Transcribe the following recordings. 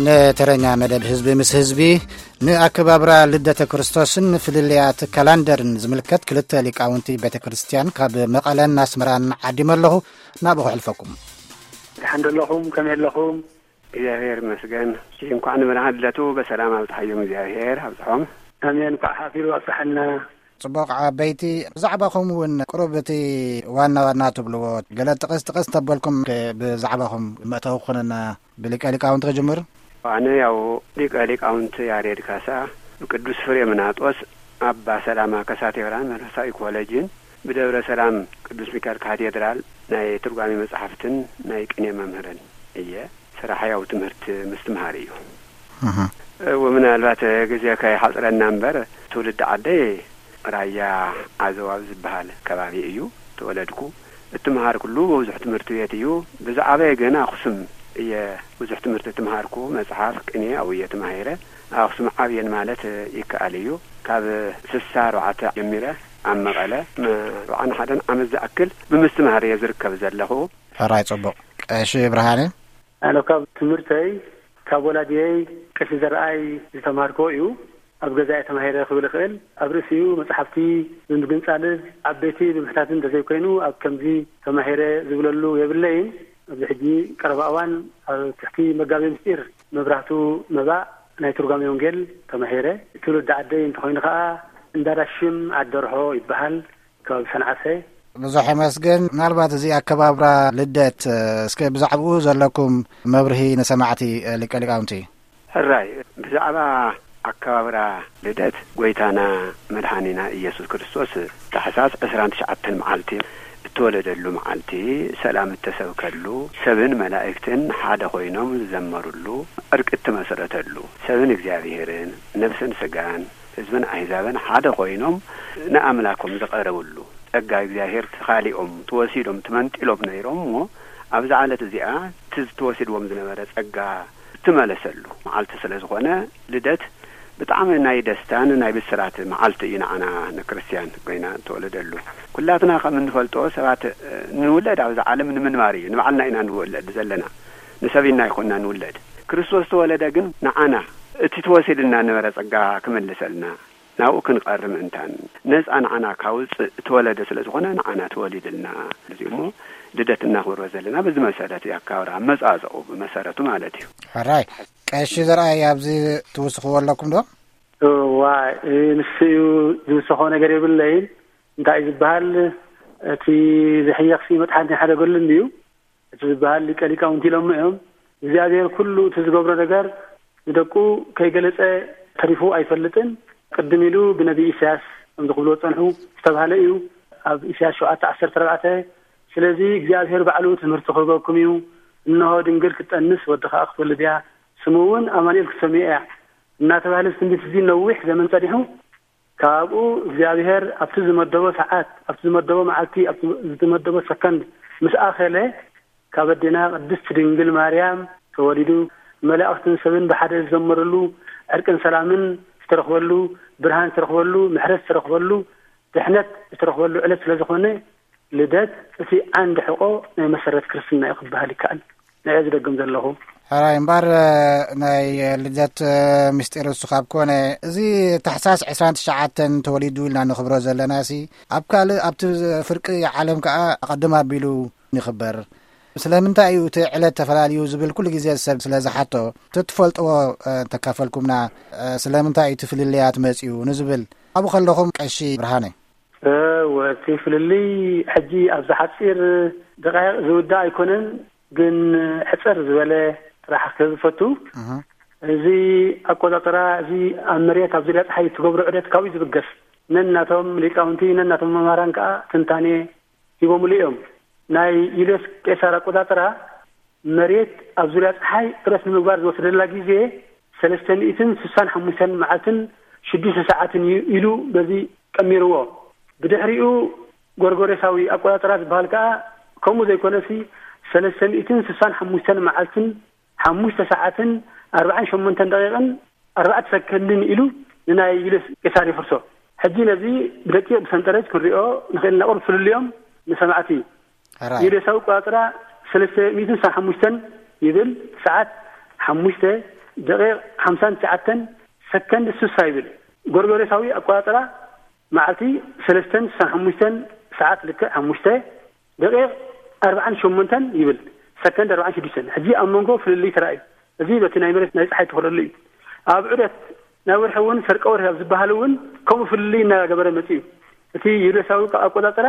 ንተረኛ መደብ ህዝቢ ምስ ህዝቢ፣ ንኣከባብራ ልደተ ክርስቶስን ፍልልያት ካላንደርን ዝምልከት ክልተ ሊቃውንቲ ቤተ ክርስቲያን ካብ መቐለን ኣስመራን ዓዲመ ኣለኹ። ናብኡ ክሕልፈኩም። ደሓን ዶ ኣለኹም? ከመይ ኣለኹም? እግዚኣብሔር ይመስገን። እንኳዕ ንብርሃን ልደቱ በሰላም ኣብጽሓዮም እግዚኣብሔር ኣብጽሖም። ኣሜን። እንኳዕ ሓፊሩ ኣብጽሓና። ጽቡቕ ዓበይቲ፣ ብዛዕባኹም እውን ቅሩብ እቲ ዋና ዋና ትብልዎ ገለ ጥቕስ ጥቕስ ተበልኩም፣ ከ-፣ ብዛዕባኹም መእተዊ ክኾነና ብሊቀ ሊቃውንቲ ክጅምር። ኣነ ያው ሊቀ ሊቃውንቲ ያሬድ ካሳ፣ ብቅዱስ ፍሬምናጦስ ኣባ ሰላማ ከሳቴ ብርሃን መንፈሳዊ ኮሌጅን ብደብረ ሰላም ቅዱስ ሚካኤል ካቴድራል ናይ ትርጓሜ መጽሓፍትን ናይ ቅኔ መምህርን እየ። ስራሕ ያው ትምህርቲ ምስትምሃር እዩ። እህ። እው፣ ምናልባት ግዜ ከይሓጽረና እምበር፣ ትውልዲ ዓደይ ራያ ዓዘዋብ ዝበሃል ከባቢ እዩ ተወለድኩ። እትምሃርኩሉ ብዙሕ ትምህርቲ ቤት እዩ። ብዝዓበየ ግን ኣኽሱም እየ ብዙሕ ትምህርቲ እትምሃርኩ። መጽሓፍ፣ ቅኔ ኣብኡ እየ ተማሂረ። ኣኽሱም ዓብየን ማለት ይከኣል እዩ። ካብ ስሳ ኣርባዕተ ጀሚረ ኣብ መቐለ ን ኣርብዓን ሓደን ዓመት ዝኣክል ብምስትምሃር እየ ዝርከብ ዘለኹ። ሕራይ ጽቡቕ። ቀሺ ብርሃነ? ኣነ ካብ ትምህርተይ ካብ ወላዲየይ ቀሺ ዘርኣይ ዝተማሃርክዎ እዩ። ኣብ ገዛይ ተማሂረ ክብል እኽእል። ኣብ ርእሲኡ መጽሓፍቲ ብምግንጻልን ዓበይቲ ብምሕታትን እንተዘይኮይኑ ኣብ ከምዚ ተማሂረ ዝብለሉ የብለይን። ኣብዚ ሕጂ ቀረባ እዋን ኣብ ትሕቲ መጋቤ ምስጢር መብራህቱ መባእ ናይ ትርጓሜ ወንጌል ተማሂረ። ትውልዲ ዓደይ እንተኾይኑ ከኣ እንዳዳሽም ዓዲ ደርሆ ይበሃል። ከባቢ ሰንዓፈ። ብዙሕ የመስግን። ምናልባት እዚ ኣከባብራ ልደት፣ እስከ ብዛዕባኡ ዘለኩም መብርሂ ንሰማዕቲ ሊቀ ሊቃውንቲ። ሕራይ፣ ብዛዕባ ኣከባብራ ልደት ጎይታና መድሓኒና ኢየሱስ ክርስቶስ ታሕሳስ ዕስራን ትሽዓተን መዓልቲ እተወለደሉ መዓልቲ፣ ሰላም እተሰብከሉ፣ ሰብን መላእክትን ሓደ ኮይኖም ዝዘመሩሉ፣ ዕርቂ እተመሰረተሉ፣ ሰብን እግዚኣብሔርን፣ ነፍስን ስጋን፣ ህዝብን ኣህዛብን ሓደ ኮይኖም ንኣምላኮም ዝቐረብሉ፣ ጸጋ እግዚኣብሔር ተኻሊኦም፣ ተወሲዶም፣ ተመንጢሎም ነይሮም እሞ፣ ኣብዛ ዕለት እዚኣ እቲ ዝተወሲድዎም ዝነበረ ጸጋ እትመለሰሉ መዓልቲ ስለ ዝኾነ፣ ልደት ብጣዕሚ ናይ ደስታን ናይ ብስራት መዓልቲ እዩ ንዓና ንክርስትያን ኮይና እተወለደሉ። ኩላትና ከም እንፈልጦ ሰባት፣ እ፣ ንውለድ ኣብዛ ዓለም ንምንባር እዩ። ንባዕልና ኢና ንውለድ ዘለና። ንሰብ ኢልና ኣይኮንና ንውለድ። ክርስቶስ ተወለደ ግን ንዓና እቲ ተወሲድልና ነበረ ጸጋ ክምልሰልና፣ ናብኡ ክንቐርብ ምእንታን፣ ነጻ ንዓና ካውጽእ እተወለደ ስለ ዝኾነ ንዓና ተወሊድልና። እዚ እሞ ልደት እናኽብሮ ዘለና በዚ መሰረት እዩ፣ ኣከባብራ ኣመጻጽኡ ብመሰረቱ ማለት እዩ። ሕራይ። ቀሺ ዘርኣይ፣ ኣብዚ ትውስኽዎ ኣለኩም ዶ? እዋ፣ እ፣ ንሱ እዩ ዝውስኾ ነገር የብለይን። እንታይ እዩ ዝበሃል? እቲ ዝሕየኽሲ መጥሓንቲ ሓደገሉ እንድዩ። እቲ ዝበሃል ሊቀ ሊቃውንቲ ኢሎሞ እዮም። እግዚኣብሔር ኩሉ እቲ ዝገብሮ ነገር ንደቁ ከይገለጸ ተሪፉ ኣይፈልጥን። ቅድም ኢሉ ብነቢ ኢሳያስ ከም ዝኽብልዎ ዝጸንሑ ዝተባህለ እዩ። ኣብ ኢሳያስ ሸውዓተ ዓሰርተ ኣርባዕተ፣ ስለዚ እግዚኣብሔር ባዕሉ ትምህርቲ ክህበኩም እዩ፣ እንሆ ድንግል ክትጠንስ ወዲ ኸኣ ክትወልድ እያ፣ ስሙ እውን ኣማኑኤል ክትሰምዮ እያ እናተባህለ እዚ ትንቢት እዚ ነዊሕ ዘመን ጸኒሑ፣ ካብኡ እግዚኣብሔር ኣብቲ ዝመደቦ ሰዓት፣ ኣብቲ ዝመደቦ መዓልቲ፣ ኣብቲ ዝተመደቦ ሰከንድ ምስ ኣኸለ፣ ካብ ኣዴና ቅድስቲ ድንግል ማርያም ተወሊዱ፣ መላእኽትን ሰብን ብሓደ ዝዘመረሉ፣ ዕርቅን ሰላምን ዝተረኽበሉ፣ ብርሃን ዝተረኽበሉ፣ ምሕረት ዝተረኽበሉ፣ ድሕነት ዝተረኽበሉ ዕለት ስለ ዝኾነ፣ ልደት እቲ ዓንዲ ሕቖ ናይ መሰረት ክርስትና እዩ ክበሃል ይከኣል። ንዕኡ ዝደግም ዘለኹ። ሕራይ እምበር፣ ናይ ልደት ምስጢር እሱ ካብ ኮነ፣ እዚ ታሕሳስ ዕስራን ትሽዓተን ተወሊዱ ኢልና ንኽብሮ ዘለናሲ፣ ኣብ ካልእ፣ ኣብቲ ፍርቂ ዓለም ከኣ ኣቐድም ኣቢሉ ይኽበር። ስለምንታይ እዩ እቲ ዕለት ተፈላልዩ ዝብል ኩሉ ግዜ ሰብ ስለ ዝሓቶ፣ እቲ ትፈልጥዎ፣ እ፣ እንተካፈልኩምና፣ እ፣ ስለምንታይ እዩ እቲ ፍልልያት መጺኡ ንዝብል፣ ኣብኡ ከለኹም ቀሺ ብርሃነ። እ፣ ወ-፣ እቲ ፍልልይ ሕጂ ኣብዚ ሓጺር ደቃይቕ ዝውዳእ ኣይኮነን፣ ግን ሕጽር ዝበለ ጥራሕ ክህብ ዝፈቱ። እህ። እዚ ኣቆጻጽራ እዚ ኣብ መሬት ኣብ ዙርያ ጸሓይ እትገብሮ ዑደት ካብኡ ዝብገስ። ነናቶም ሊቃውንቲ፣ ነናቶም መምህራን ከኣ ትንታኔ ሂቦምሉ እዮም። ናይ ዩልዮስ ቄሳር ኣቆጻጽራ መሬት ኣብ ዙርያ ጸሓይ ዑደት ንምግባር ዝወስደላ ግዜ ሰለስተ ሚእትን ስሳን ሓሙሽተን መዓልትን ሽዱሽተ ሰዓትን እዩ ኢሉ በዚ ቀሚርዎ። ብድሕሪኡ ጎርጎሬሳዊ ኣቆጻጽራ ዝበሃል ከኣ ከምኡ ዘይኮነሲ ሰለስተ ሚእትን ስሳን ሓሙሽተን መዓልትን ሓሙሽተ ሰዓትን ኣርባዓን ሸሞንተን ደቂቕን ኣርባዕተ ሰከንድን ኢሉ ንናይ ዩልዮስ ቄሳር ይፍርሶ። ሕጂ ነዚ ብደቂቕ ብሰንጠረጅ ክንሪኦ ንኽእል ኢና። ቁሩብ ፍልልዮም ንሰማዕቲ። ሕራይ። ዩልዮሳዊ ኣቆጻጽራ ሰለስተ ሚእትን ስሳን ሓሙሽተን ይብል፣ ሰዓት ሓሙሽተ ደቂቕ ሓምሳን ትሽዓተን፣ ሰከንድ ስሳ ይብል። ጎርጎሬሳዊ ኣቆጻጽራ መዓልቲ ሰለስተን ስሳን ሓሙሽተን፣ ሰዓት ልክዕ ሓሙሽተ፣ ደቂቕ ኣርባዓን ሸሞንተን ይብል። ሰከንድ ኣርባዓን ሽዱሽተን። ሕጂ ኣብ መንጎ ፍልልይ ተራእዩ። እዚ በቲ ናይ መሬት ናይ ጸሓይ ትኸደሉ እዩ። ኣብ ዑደት ናይ ወርሒ እውን ሰርቀ ወርሒ ኣብ ዝበሃል እውን ከምኡ ፍልልይ እናገበረ መጺኡ። እቲ ዩሬሳዊ ኣቆጻጽራ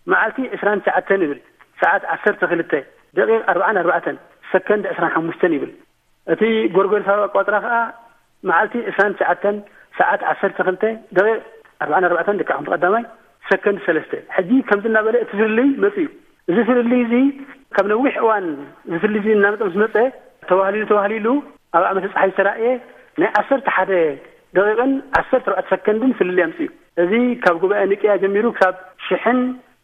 መዓልቲ ዕስራን ትሽዓተን ይብል። ሰዓት ዓሰርተ ክልተ፣ ደቂቕ ኣርባዓን ኣርባዕተን፣ ሰከንድ ዕስራን ሓሙሽተን ይብል። እቲ ጎርጎርሳዊ ኣቋጽራ ከኣ መዓልቲ ዕስራን ትሽዓተን፣ ሰዓት ዓሰርተ ክልተ፣ ደቂቕ ኣርባዓን ኣርባዕተን፣ ልክዕ ከምቲ ቀዳማይ፣ ሰከንድ ሰለስተ። ሕጂ ከምዚ እናበለ እቲ ፍልልይ መጺኡ። እዚ ፍልልይ እዚ ካብ ነዊሕ እዋን፣ እዚ ፍልልይ እዚ እናመጸ ምስ መጸ፣ ተዋህሊሉ ተዋህሊሉ ኣብ ዓመተ ጸሓይ ዝተራእየ ናይ ዓሰርተ ሓደ ደቂቕን ዓሰርተ ኣርባዕተ ሰከንድን ፍልልይ ኣምጺኡ። እዚ ካብ ጉባኤ ኒቅያ ጀሚሩ ክሳብ ሽሕን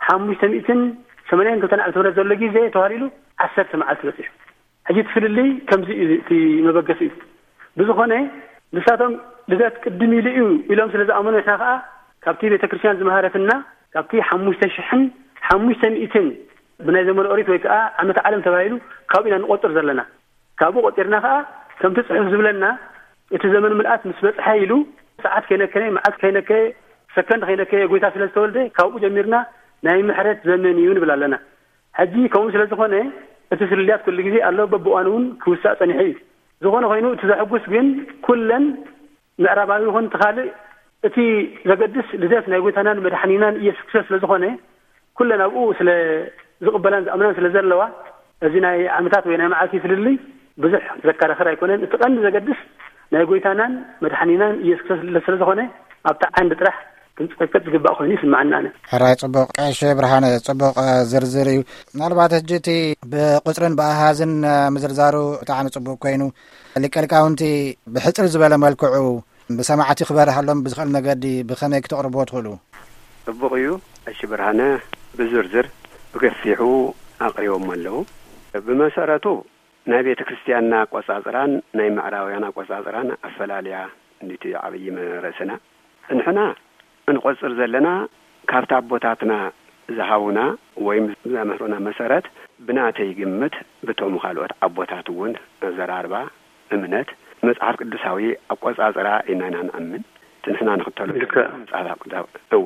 ሓሙሽተ ሚእትን ሰማንያን ክልተን ዓመተ ምህረት ዘሎ ግዜ ተዋህሊሉ ዓሰርተ መዓልቲ በጺሑ። ሕጂ እቲ ፍልልይ ከምዚ እዩ፣ እቲ መበገሲ እዩ። ብዝኾነ ንሳቶም ልደት ቅድም ኢሉ እዩ ኢሎም ስለ ዝኣመኑ፣ ንሕና ከኣ ካብቲ ቤተ ክርስቲያን ዝመሃረትና፣ ካብቲ ሓሙሽተ ሽሕን ሓሙሽተ ሚእትን ብናይ ዘመነ ኦሪት ወይ ከኣ ዓመተ ዓለም ተባሂሉ ካብኡ ኢና ንቆጽር ዘለና። ካብኡ ቆጺርና ከኣ ከምቲ ጽሑፍ ዝብለና፣ እቲ ዘመን ምልኣት ምስ በጽሐ ኢሉ፣ ሰዓት ከይነከየ፣ መዓልቲ ከይነከየ፣ ሰከንድ ከይነከየ ጎይታ ስለ ዝተወልደ፣ ካብኡ ጀሚርና ናይ ምሕረት ዘመን እዩ ንብል ኣለና። ሕጂ ከምኡ ስለ ዝኾነ፣ እቲ ፍልልያት ኩሉ ግዜ ኣሎ፣ በብእዋኑ እውን ክውሳእ ጸኒሑ እዩ። ዝኾነ ኮይኑ፣ እቲ ዘሐጉስ ግን ኩለን ምዕራባዊ ይኹን እቲ ካልእ፣ እቲ ዘገድስ ልደት ናይ ጎይታናን መድሓኒናን ኢየሱስ ክርስቶስ ስለ ዝኾነ፣ ኩለን ኣብኡ ስለ ዝቕበላን ዝኣምናን ስለ ዘለዋ፣ እዚ ናይ ዓመታት ወይ ናይ መዓልቲ ፍልልይ ብዙሕ ዘከራኽር ኣይኮነን። እቲ ቀንዲ ዘገድስ ናይ ጎይታናን መድሓኒናን ኢየሱስ ክርስቶስ ልደት ስለ ዝኾነ፣ ኣብታ ዓንዲ ጥራሕ ክንጽፈቀጥ ዝግባእ ኮይኑ ይስምዓኒ ኣነ። ሕራይ ጽቡቕ፣ ቀሺ ብርሃነ፣ ጽቡቕ፣ እ፣ ዝርዝር እዩ። ምናልባት ሕጂ እቲ ብቁጽርን ብኣሃዝን፣ እ፣ ምዝርዛሩ ብጣዕሚ ጽቡቕ ኮይኑ፣ ሊቀ ሊቃውንቲ ብሕጽር ዝበለ መልክዑ ብሰማዕቲ ክበርሃሎም ብዝኽእል መገዲ ብኸመይ ክተቕርብዎ ትኽእሉ? ጽቡቕ እዩ። ቀሺ ብርሃነ ብዝርዝር ብገፊሑ ኣቕሪቦም ኣለዉ። ብመሰረቱ ናይ ቤተ ክርስቲያንና ኣቆጻጽራን ናይ ምዕራባውያን ኣቆጻጽራን ኣፈላልያ እንዲቲ ዓብዪ መ-፣ ርእስና። ንሕና እንቆጽር ዘለና ካብቲ ኣቦታትና ዝሃቡና ወይም ዘምህሩና መሰረት፣ ብናተይ ግምት፣ ብቶም ካልኦት ኣቦታት እውን ኣዘራርባ፣ እምነት፣ መጽሓፍ ቅዱሳዊ ኣቆጻጽራ ኢና ኢና ንኣምን። እቲ ንሕና ንኽተሎ ልክዕ። መጽሓፍ ቅዱሳዊ፣ እዎ፣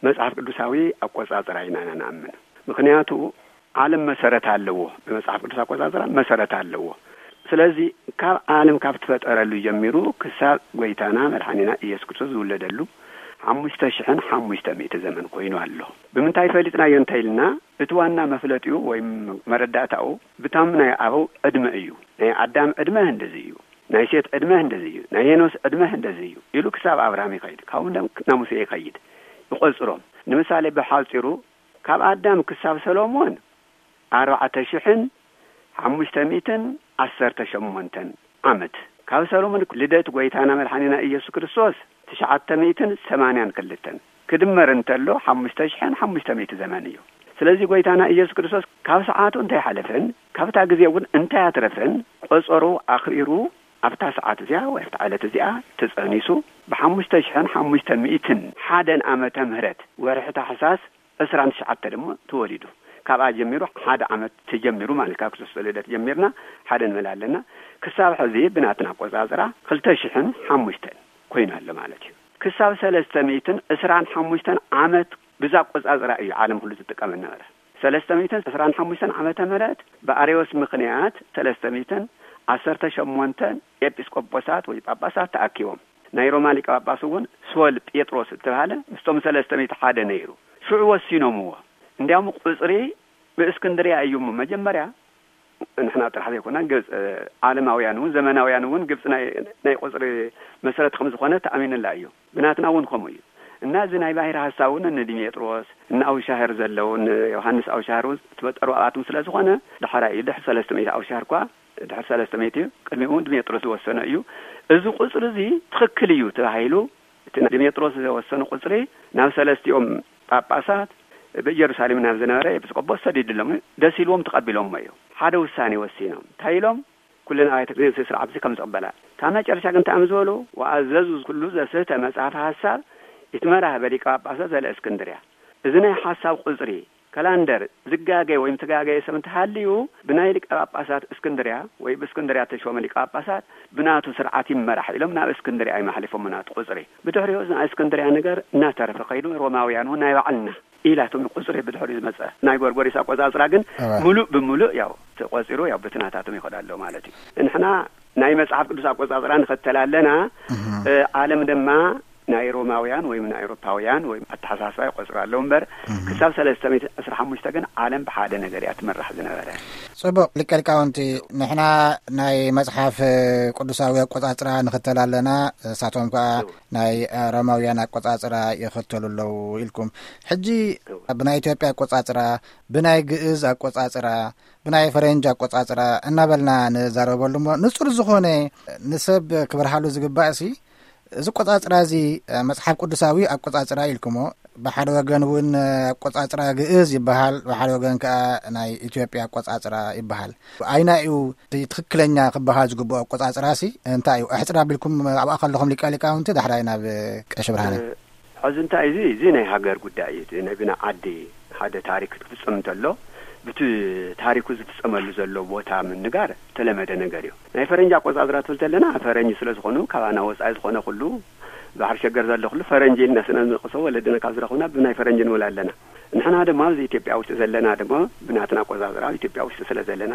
መጽሓፍ ቅዱሳዊ ኣቆጻጽራ ኢና ኢና ንኣምን። ምኽንያቱ ዓለም መሰረት ኣለዎ። ብመጽሓፍ ቅዱስ ኣቆጻጽራ መሰረት ኣለዎ። ስለዚ ካብ ዓለም ካብ ትፈጠረሉ ጀሚሩ ክሳብ ጎይታና መድሓኒና ኢየሱስ ክርስቶስ ዝውለደሉ ሓሙሽተ ሽሕን ሓሙሽተ ሚእቲ ዘመን ኮይኑ ኣሎ። ብምንታይ ፈሊጥናዮ እንተ ኢልና፣ እቲ ዋና መፍለጢኡ ወይም መረዳእታኡ ብቶም ናይ ኣበው ዕድመ እዩ። ናይ ኣዳም ዕድመ እንደዚ እዩ፣ ናይ ሴት ዕድመ እንደዚ እዩ፣ ናይ ሄኖስ ዕድመ እንደዚ እዩ ኢሉ ክሳብ ኣብርሃም ይኸይድ፣ ካብኡ ናብ ሙሴ ይኸይድ፣ ይቆጽሮም። ንምሳሌ ብሓጺሩ ካብ ኣዳም ክሳብ ሰሎሞን ኣርባዕተ ሽሕን ሓሙሽተ ሚእትን ዓሰርተ ሸሞንተን ዓመት፣ ካብ ሰሎሞን ልደት ጎይታና መድሓኒና ኢየሱስ ክርስቶስ ትሽዓተ ሚእትን ሰማንያን ክልተን ክድመር እንተሎ ሓሙሽተ ሽሕን ሓሙሽተ ሚእቲ ዘመን እዩ። ስለዚ ጎይታና ኢየሱስ ክርስቶስ ካብ ሰዓቱ እንታይ ሓለፈን ካብታ ግዜ እውን እንታይ ኣትረፈን ቆጸሩ ኣኽሪሩ ኣብታ ሰዓት እዚኣ ወይ ኣብታ ዕለት እዚኣ ተጸኒሱ ብሓሙሽተ ሽሕን ሓሙሽተ ሚእትን ሓደን ዓመተ ምህረት ወርሒ ታሕሳስ ዕስራን ትሽዓተ ድማ ተወሊዱ። ካብኣ ጀሚሩ ሓደ ዓመት ተጀሚሩ ማለት ካብ ክርስቶስ ልደት ጀሚርና ሓደ ንብል ኣለና። ክሳብ ሕዚ ብናትና ኣቆጻጽራ ክልተ ሽሕን ሓሙሽተን ኮይኑ ኣሎ ማለት እዩ። ክሳብ ሰለስተ ሚእትን ዕስራን ሓሙሽተን ዓመት ብዛ ኣቆጻጽራ እዩ ዓለም ኩሉ ትጥቀም ነበረ። ሰለስተ ሚእትን ዕስራን ሓሙሽተን ዓመተ ምህረት ብኣርዮስ ምኽንያት ሰለስተ ሚእትን ዓሰርተ ሸሞንተን ኤጲስቆጶሳት ወይ ጳጳሳት ተኣኪቦም። ናይ ሮማ ሊቀ ጳጳስ እውን ሶል ጴጥሮስ እተባህለ ምስቶም ሰለስተ ሚእቲ ሓደ ነይሩ። ሽዑ ወሲኖምዎ። እንዲያውም ቁጽሪ ብእስክንድርያ እዩ እሞ መጀመርያ ንሕና ጥራሕ ዘይኮና ግብጽ፣ ዓለማውያን እውን ዘመናውያን እውን ግብጽ ናይ፣ ናይ ቁጽሪ መሰረት ከም ዝኾነ ተኣሚንላ እዩ። ብናትና እውን ከምኡ እዩ። እና እዚ ናይ ባሕሪ ሐሳብ እውን ንዲሜጥሮስ፣ ንኣውሻህር ዘለዉ፣ ንዮሃንስ ኣውሻህር እውን ትበጠሩ ኣብኣቶም ስለ ዝኾነ፣ ዳሕራይ እዩ። ድሕሪ ሰለስተ ሚእቲ ኣውሻህር እኳ፣ ድሕሪ ሰለስተ ሚእቲ እዩ። ቅድሚኡ እውን ዲሜጥሮስ ዝወሰነ እዩ። እዚ ቁጽሪ እዚ ትኽክል እዩ ተባሂሉ፣ እቲ ዲሜጥሮስ ዝወሰነ ቁጽሪ ናብ ሰለስቲኦም ጳጳሳት ብኢየሩሳሌም ናብ ዝነበረ ኤጲስቆጶስ ሰዲድሎም፣ ደስ ኢልዎም ተቐቢሎምዎ እዩ። ሓደ ውሳኔ ወሲኖም። እንታይ ኢሎም? ኩለን ኣብያተ ክርስቲያን ስርዓት እዚ ከም ዝቕበላ። ካብ መጨረሻ ግን እንታይ እዮም ዝበሉ? "ወኣዘዙ ኩሉ ዘስህተ መጽሐፈ ሐሳብ ይትመራህ በሊቀ ጳጳሳት ዘለ እስክንድርያ።" እዚ ናይ ሐሳብ ቁጽሪ ካላንደር ዝጋገየ ወይም ተጋገየ ሰብ እንተሃልዩ፣ ብናይ ሊቀ ጳጳሳት እስክንድርያ ወይ ብእስክንድርያ ተሾመ ሊቀ ጳጳሳት ብናቱ ስርዓት ይመራሕ ኢሎም ናብ እስክንድርያ እዮም ኣሕሊፎም ናቱ ቁጽሪ። ብድሕሪኡ ናይ እስክንድርያ ነገር እናተረፈ ከይዱ፣ ሮማውያን እውን ናይ ባዕልና ኢላቶም ቁጽሪ ብድሕሪኡ ዝመጸ። ናይ ጎርጎሪስ ኣቆጻጽራ ግን እወ። ሙሉእ ብሙሉእ ያው ተቆጺሩ ያው ብትናታቶም ይኸዳ ኣሎ ማለት እዩ። ንሕና ናይ መጽሓፍ ቅዱስ ኣቆጻጽራ ንኸተል ኣለና። እህ። እ፣ ዓለም ድማ ናይ ሮማውያን ወይም ናይ ኤውሮፓውያን ወይም ኣተሓሳስባ ይቆጽሩ ኣለዉ እምበር፣ እህ። ክሳብ ሰለስተ ሚእቲ ዕስራ ሓሙሽተ ግን ዓለም ብሓደ ነገር እያ ትምራሕ ዝነበረ። ጽቡቕ፣ ሊቀ ሊቃውንቲ፣ ንሕና ናይ መጽሓፍ ቅዱሳዊ ኣቆጻጽራ ንኽተል ኣለና፣ እሳቶም ከኣ እዎ። ናይ ሮማውያን ኣቆጻጽራ ይኽተሉ ኣለዉ ኢልኩም። ሕጂ እዎ። ብናይ ኢትዮጵያ ኣቆጻጽራ፣ ብናይ ግእዝ ኣቆጻጽራ፣ ብናይ ፈረንጅ ኣቆጻጽራ እናበልና ንዛረበሉ እሞ፣ ንጹር ዝኾነ ንሰብ ክበርሃሉ ዝግባእ ሲ፣ እዚ ኣቆጻጽራ እዚ፣ እ፣ መጽሓፍ ቅዱሳዊ ኣቆጻጽራ ኢልኩሞ፣ ብሓደ ወገን እውን፣ እ፣ ኣቆጻጽራ ግእዝ ይበሃል፣ ብሓደ ወገን ከኣ ናይ ኢትዮጵያ ኣቆጻጽራ ይበሃል። ኣይና እዩ እቲ ትኽክለኛ ክበሃል ዝግብኦ ኣቆጻጽራ ሲ እንታይ እዩ? ኣሕጽር ኣቢልኩም ኣብኣ ከለኹም ሊቀ ሊቃውንቲ፣ ዳሕራይ ናብ ቀሺ ብርሃነ። እ፣ ሕዚ እንታይ እዚ፣ እዚ ናይ ሃገር ጉዳይ እዩ። እቲ ናይ ብና ዓዲ ሓደ ታሪክ ክፍጸም እንተሎ፣ ብቲ ታሪኩ ዝፍጸመሉ ዘሎ ቦታ ምንጋር ተለመደ ነገር እዩ። ናይ ፈረንጂ ኣቆጻጽራ ትብል ተለና፣ ፈረንጂ ስለ ዝኾኑ፣ ካባና ወጻኢ ዝኾነ ኩሉ፣ ባሕሪ ሸገር ዘሎ ኩሉ ፈረንጂ ኢልና ስለ ንቕሶ፣ ወለድና ካብ ዝረኽቡና ብናይ ፈረንጂ ንብል ኣለና። ንሕና ድማ ኣብዚ ኢትዮጵያ ውሽጢ ዘለና ድማ ብናትና ኣቆጻጽራ ኣብ ኢትዮጵያ ውሽጢ ስለ ዘለና፣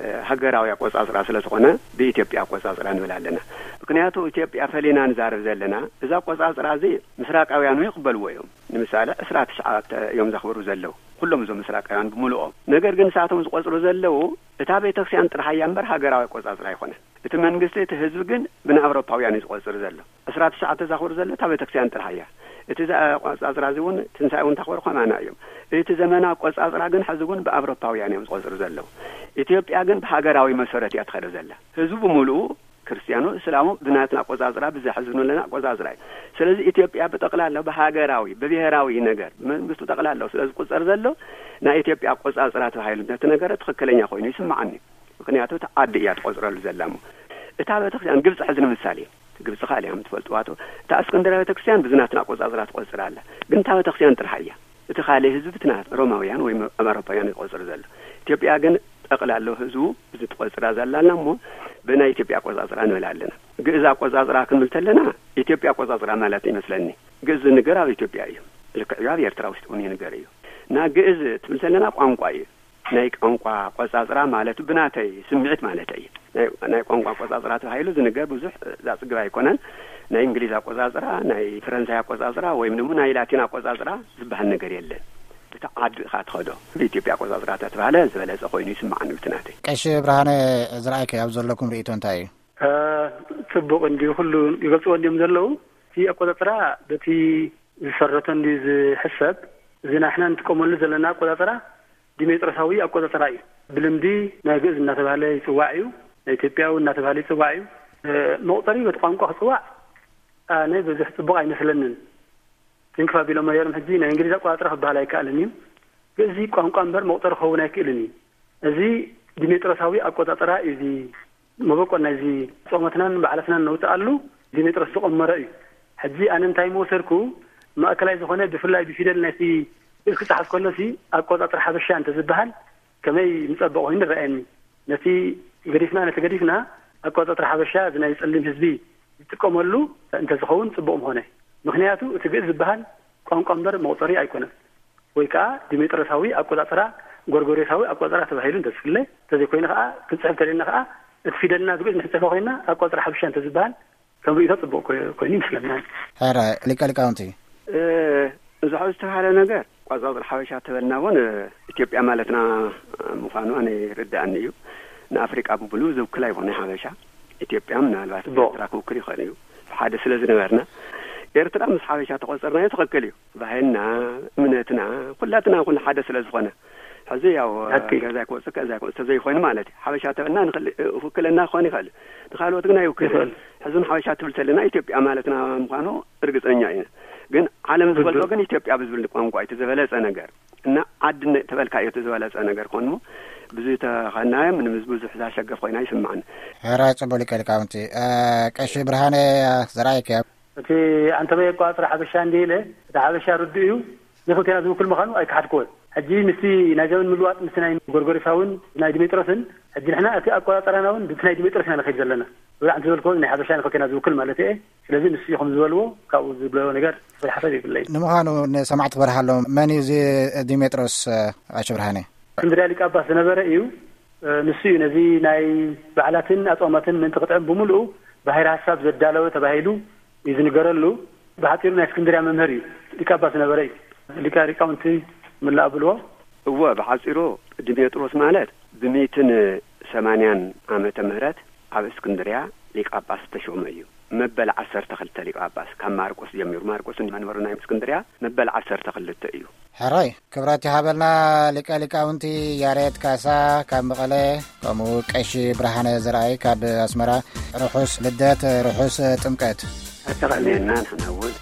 እ፣ ሃገራዊ ኣቆጻጽራ ስለ ዝኾነ ብኢትዮጵያ ኣቆጻጽራ ንብል ኣለና። ምክንያቱ ኢትዮጵያ ፈሊና ንዛረብ ዘለና፣ እዚ ኣቆጻጽራ እዚ ምስራቃውያኑ ይቕበልዎ እዮም። ንምሳሌ ዕስራ ትሽዓተ እዮም ዘኽብሩ ዘለዉ፣ ኩሎም እዞም ምስራቃውያን ብምልኦም። ነገር ግን ንሳቶም ዝቆጽሩ ዘለዉ እታ ቤተክርስትያን ጥራሕ እያ እምበር ሃገራዊ ኣቆጻጽራ ኣይኮነን። እቲ መንግስቲ፣ እቲ ህዝቢ ግን ብናይ ኣውሮፓውያን እዩ ዝቆጽር ዘሎ። ዕስራ ትሽዓተ ዘኽብሩ ዘሎ እታ ቤተክርስትያን ጥራሕ እያ። እቲ ዘ-፣ ኣቆጻጽራ እዚ እውን ትንሳኤ እውን ተኽብሩ ከማና እዮም። እቲ ዘመናዊ ኣቆጻጽራ ግን ሕዚ እውን ብኣውሮፓውያን እዮም ዝቆጽሩ ዘለዉ። ኢትዮጵያ ግን ብሃገራዊ መሰረት እያ ትኸደ ዘላ። ህዝቡ ብምሉኡ ክርስትያኑ፣ እስላሙ ብናትና ኣቆጻጽራ፣ ብዘሕዝኑለና ኣቆጻጽራ እዩ። ስለዚ ኢትዮጵያ ብጠቕላላ ብሃገራዊ፣ ብብሄራዊ ነገር፣ ብመንግስቱ ጠቕላላ ስለ ዝቁጸር ዘሎ፣ ናይ ኢትዮጵያ ኣቆጻጽራ ተባሂሉ እንተተነገረ ትኽክለኛ ኮይኑ ይስምዓኒ። ምክንያቱ እታ ዓዲ እያ ትቆጽረሉ ዘላ እሞ። እታ ቤተክርስትያን ግብጺ ሕዚ ንምሳሌ፣ ግብጺ ካልእ እያ ትፈልጥዋ ዶ? እታ እስክንድርያ ቤተክርስትያን ብዝናትና ኣቆጻጽራ ትቆጽር ኣላ። ግን እታ ቤተክርስትያን ጥራሕ እያ። እቲ ካልእ ህዝቢ ብትና ሮማውያን ወይ ኣብ ኣውሮፓውያን ዝቆጽር ዘሎ። ኢትዮጵያ ግን ጠቕላላ ህዝቡ እዚ ትቆጽራ ዘላ ኣላ እሞ ብናይ ኢትዮጵያ ኣቆጻጽራ ንብል ኣለና። ግእዝ ኣቆጻጽራ ክንብል ተለና ኢትዮጵያ ኣቆጻጽራ ማለት ይመስለኒ። ግእዝ ዝንገር ኣብ ኢትዮጵያ እዩ። ልክዕ እዩ፣ ኣብ ኤርትራ ውሽጢ እውን ይንገር እዩ። እና ግእዝ ትብል ተለና ቋንቋ እዩ። ናይ ቋንቋ ኣቆጻጽራ ማለት ብናተይ ስምዒት ማለት እዩ። ናይ፣ ናይ ቋንቋ ኣቆጻጽራ ተባሂሉ ዝንገር ብዙሕ ዘጽግብ ኣይኮነን። ናይ እንግሊዝ ኣቆጻጽራ፣ ናይ ፈረንሳይ ኣቆጻጽራ ወይም ድማ ናይ ላቲን ኣቆጻጽራ ዝበሃል ነገር የለን። እቲ ዓዲ ኢኻ ትኸዶ። ብኢትዮጵያ ኣቆጻጽራ ተተባህለ ዝበለጸ ኮይኑ ይስምዓኒ ብቲ ናተይ። ቀሺ ብርሃነ፣ ዝረኣይከ ኣብ ዘለኩም ርእይቶ እንታይ እዩ? እ፣ ጽቡቕ እንድዩ፣ ኩሉ ይገልጽዎ እንድዮም ዘለዉ። እቲ ኣቆጻጽራ በቲ ዝሰረቶ እንድዩ ዝሕሰብ። እዚ ናሕና እንጥቀመሉ ዘለና ኣቆጻጽራ ዲሜጥሮሳዊ ኣቆጻጽራ እዩ። ብልምዲ ናይ ግእዝ እናተባህለ ይጽዋዕ እዩ፣ ናይ ኢትዮጵያዊ እናተባህለ ይጽዋዕ እዩ። እ፣ መቑጸሪ በቲ ቋንቋ ክጽዋዕ ኣነ ብዙሕ ጽቡቕ ኣይመስለንን። ትንክፍ ኣቢሎም ነይሮም፣ ሕጂ ናይ እንግሊዝ ኣቆጻጽራ ክበሃል ኣይከኣልን እዩ። ግእዝ ቋንቋ እምበር መቑጸሪ ክኸውን ኣይክእልን እዩ። እዚ ዲሜጥሮሳዊ ኣቆጻጽራ እዩ። እዚ መበቆል ናይዚ ጾመትናን በዓላትናን ነውጽኣሉ ዲሜጥሮስ ዝቐመሮ እዩ። ሕጂ ኣነ እንታይ ምወሰድኩ፣ ማእከላይ ዝኾነ ብፍላይ ብፊደል ናይቲ ግእዝ ክጸሓፍ ከሎሲ ኣቆጻጽራ ሓበሻ እንተዝበሃል ከመይ ምጸበቕ ኮይኑ ይረኣየኒ። ነቲ ገዲፍና፣ ነቲ ገዲፍና ኣቆጻጽራ ሓበሻ እዚ ናይ ጸሊም ህዝቢ ዝጥቀመሉ እንተዝኸውን ጽቡቕ ምኾነ። ምኽንያቱ እቲ ግእዝ ዝበሃል ቋንቋ እምበር መቑጸሪ ኣይኮነን። ወይ ከኣ ዲሜጥሮሳዊ ኣቆጻጽራ፣ ጎርጎሬሳዊ ኣቆጻጽራ ተባሂሉ እንተዝፍለ፣ እንተዘይኮይኑ ከኣ ክንጽሕፍ እንተደልና ከኣ እቲ ፊደልና ብግእዝ ንሕጽፎ ኮይንና ኣቆጻጽራ ሓበሻ እንተዝበሃል ከም ርእይቶ ጽቡቕ ኮ-፣ ኮይኑ ይመስለና። ሕረ ሊቀ ሊቃውንቲ። እ፣ እዚ ሕዚ ዝተባህለ ነገር ኣቆጻጽራ ሓበሻ ተበልና እውን፣ እ፣ ኢትዮጵያ ማለትና ምዃኑ ኣነ ይርድኣኒ እዩ። ንኣፍሪቃ ብምሉኡ ዝውክል ኣይኮነ ሓበሻ። ኢትዮጵያ ምናልባት ጽቡቕ። ኤርትራ ክውክል ይኽእል እዩ። ብሓደ ስለ ዝነበርና፣ ኤርትራ ምስ ሓበሻ ተቖጸርናዮ ትኽክል እዩ። ባህልና፣ እምነትና፣ ኩላትና ኩሉ ሓደ ስለ ዝኾነ። ሕዚ ያው፣ ሓቂ። ገዛይ ክወጽእ፣ ገዛይ ክወጽእ ተዘይኮይኑ ማለት እዩ። ሓበሻ ተበልና ንኽል-፣ ውክልና ክኾን ይኽእል። ንኻልኦት ግን ኣይውክልን። ይኽእል። ሕዚ ንሓበሻ ትብል ተለና ኢትዮጵያ ማለትና ምዃኑ እርግጸኛ ኢና። ግን ዓለም ትኽክል። ዝበልጾ ግን ኢትዮጵያ ብዝብል ቋንቋ እዩ እቲ ዝበለጸ ነገር። እና ዓድነ ተበልካዮ እቲ ዝበለጸ ነገር ኮኑ ብዙ ተኸናዮም ንምዝ ብዙሕ ዛሸገፍ ኮይና ይስምዓን። ሕራይ ጽቡቅ ሊቀ ሊቃውንቲ። እ፣ ቀሺ ብርሃነ ዘርኣይከ። እቲ ኣንተበየ ኣቋጽራ ሓበሻ እንዲ ኢለ፣ እቲ ሓበሻ ርዱእ እዩ። ንኽልቴና ዝውክል ምዃኑ ኣይከሓድክዎን። ሕጂ ምስቲ ናይ ዘመን ምልዋጥ ምስቲ ናይ ጎርጎሪሳውን ናይ ዲሜጥሮስን ሕጂ ንሕና እቲ ኣቆጻጸራና እውን ብቲ ናይ ዲሜጥሮስ ኢና ንኸይድ ዘለና። ብዛዕባ ዝበልክዎ ናይ ሓበሻ ንኸከና ዝውክል ማለት እየ። ስለዚ ንሱ ኢኹም ዝበልዎ ካብኡ ዝብሎ ነገር ዝፈል ሓሳብ ይብለይ። ንምዃኑ ንሰማዕቲ ክበርሃሎም፣ መን እዩ እዚ ዲሜጥሮስ? ኣሸ ብርሃነ፣ እስክንድርያ ሊቀ ጳጳስ ዝነበረ እዩ። ንሱ እዩ ነዚ ናይ በዓላትን ኣጾማትን ምእንቲ ክጥዕም ብምልኡ ባሕሪ ሓሳብ ዘዳለወ ተባሂሉ እዩ ዝንገረሉ። ብሓጺሩ ናይ እስክንድርያ መምህር እዩ። ሊቀ ጳጳስ ዝነበረ እዩ። ሊቀ ሊቃውንቲ ምልኣ ብልዎ። እወ፣ ብሓጺሩ ድሜጥሮስ ማለት ብሚእትን ሰማንያን ዓመተ ምህረት ኣብ እስክንድርያ ሊቀ ጳጳስ ዝተሾመ እዩ። መበል ዓሰርተ ክልተ ሊቀ ጳጳስ ካብ ማርቆስ ጀሚሩ፣ ማርቆስ መንበሩ ናይ እስክንድርያ መበል ዓሰርተ ክልተ እዩ። ሕራይ ክብረት ይሃበልና። ሊቀ ሊቃውንቲ ያሬድ ካሳ ካብ መቐለ፣ ከምኡ ቀሺ ብርሃነ ዘርኣይ ካብ ኣስመራ፣ ርሑስ ልደት፣ ርሑስ ጥምቀት። ኣጠቓሊልና ንሕና እውን